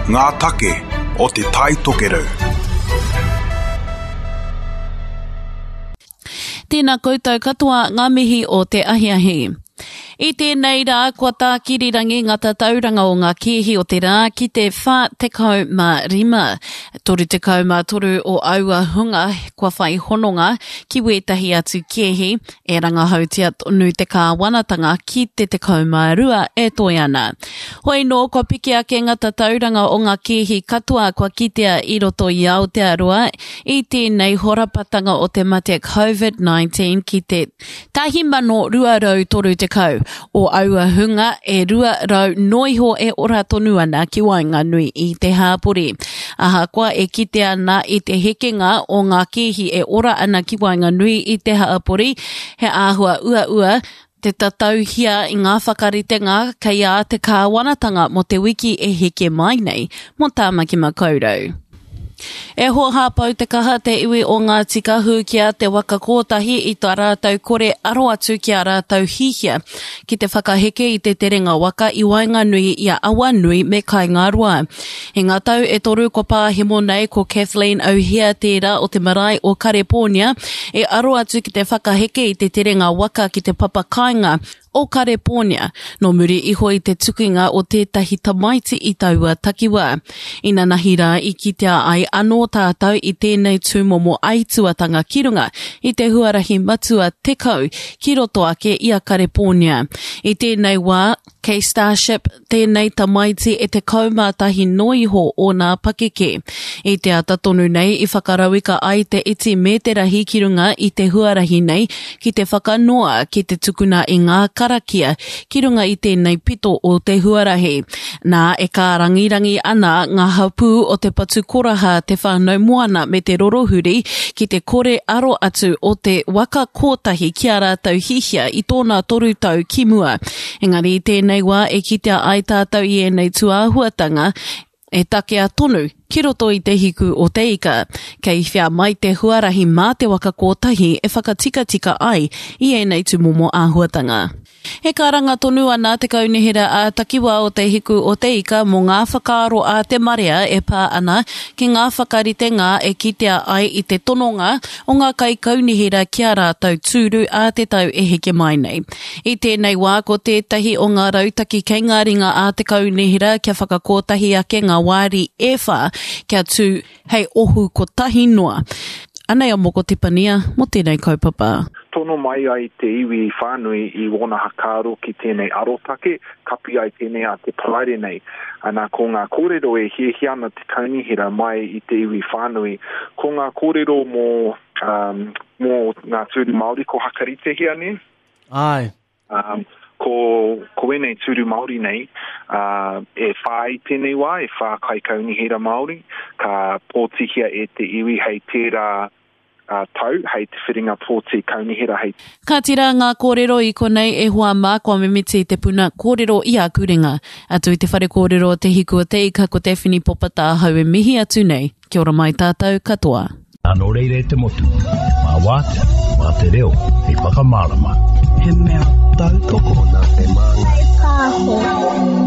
Ngā take o Te Tai Tokerau. Tēnā koutou katoa ngā mihi o te ahiahi. I tēnei rā kua tākirirangi ngā tatauranga o ngā kēhi o te rā ki te 45. 33 o aua hunga kua whai hononga ki wētahi atu kēhi e rangahautia tonu te kāwanatanga ki te 12 e toe ana. Hoi nō kua piki ake ngā tatauranga o ngā kēhi katoa kua kitea i roto i Aotearoa i tēnei horapatanga o te mate COVID-19 ki te 1,230 o aua hunga e 200 noiho e ora tonu ana ki waenganui i te hāpori. Ahakoa e kite ana i te hekenga o ngā kēhi e ora ana ki waenganui i te hāpori, he āhua uaua te tatauhia i ngā whakaritenga kei a te kāwanatanga mō te wiki e heke mai nei mō Tāmaki Makaurau. E hōhā pau te kaha te iwi o Ngāti Kahu ki a Te Waka Kōtahi i tā rātou kore aro atu ki ā rātou hihia ki te whakaheke i te terenga waka i waenganui i a Awanui me Kaingaroa. I ngā tau e toru kua pāhemo nei ko Kathleen O'Hea tērā o te marae o Karepōnia e aro atu ki te whakaheke i te terenga waka ki te papa kāinga o Karepōnia, nō muri iho i te tukinga o tētahi tamaiti i taua takiwā. Inanahi rā i kitea ai anō tātou i tēnei tūmomo aituatanga ki runga i te huarahi matua 10 ki roto ake i a Karepōnia. I tēnei wā, kei Starship tēnei tamaiti e 11 noa iho ōna pakeke. I te ata tonu nei i whakarauika ai te iti me te rahi ki runga i te huarahi nei ki te whakanoa ki te tukuna i ngā karakia ki runga i tēnei pito o te huarahi. Nā, e kārangirangi ana ngā hapū o Te Patu Koraha, Te Whānau Moana me Te Rorohuri ki te kore aro atu o te waka kōtahi ki ā rātou hihia i tōna toru tau ki mua. Engari i tēnei wā e kitea ai tātou i ēnei tūāhuatanga e takea tonu ki roto i te hiku o te ika. Kei whea mai te huarahi mā te waka kōtahi e whakatikatika ai i ēnei tūmomo āhuatanga. E karanga tonu ana te Kaunihera ā-Takiwā o Te Hiku o Te Ika mō ngā whakaaro a te marea e pā ana ki ngā whakaritenga e kitea ai i te tononga o ngā kaikaunihera ki ā rātou tūru ā te tau e heke mai nei. I tēnei wā ko tētahi o ngā rautaki kei ngā ringa a te kaunihera kia whakakōtahi ake ngā wāri e whā kia tū hei ohu kotahi noa. Anei a Moko Tepania mō tēnei kaupapa. Tono mai ai te iwi whānui i wōna hakaaro ki tēnei arotake, kapi ai tēnei a te Paraire nei. Ana, ko ngā kōrero e hiahia ana te kaunihera mai i te iwi whānui, ko ngā kōrero mō, um, mō ngā tūru Māori ko Hakaritehia, nē? Āe. Um, ko, ko ēnei tūru Māori nei, uh, e whā i tēnei wā, e whā kaikaunihera Māori, ka pōtihia e te iwi hei tērā uh, tau, hei te whiringa pōti kaunihera hei. Ka tira ngā kōrero i konei e hoa mā kua mimiti te puna kōrero i aku ringa. Atu i te whare kōrero o Te Hiku o Te Ika ko Daphne Popata ahau e mihi atu nei. Kia ora mai tātou katoa. Nō reira e te motu, mā Wātea, mā te reo hei whakamārama. He mea tautoko nā te māngai. Pāho.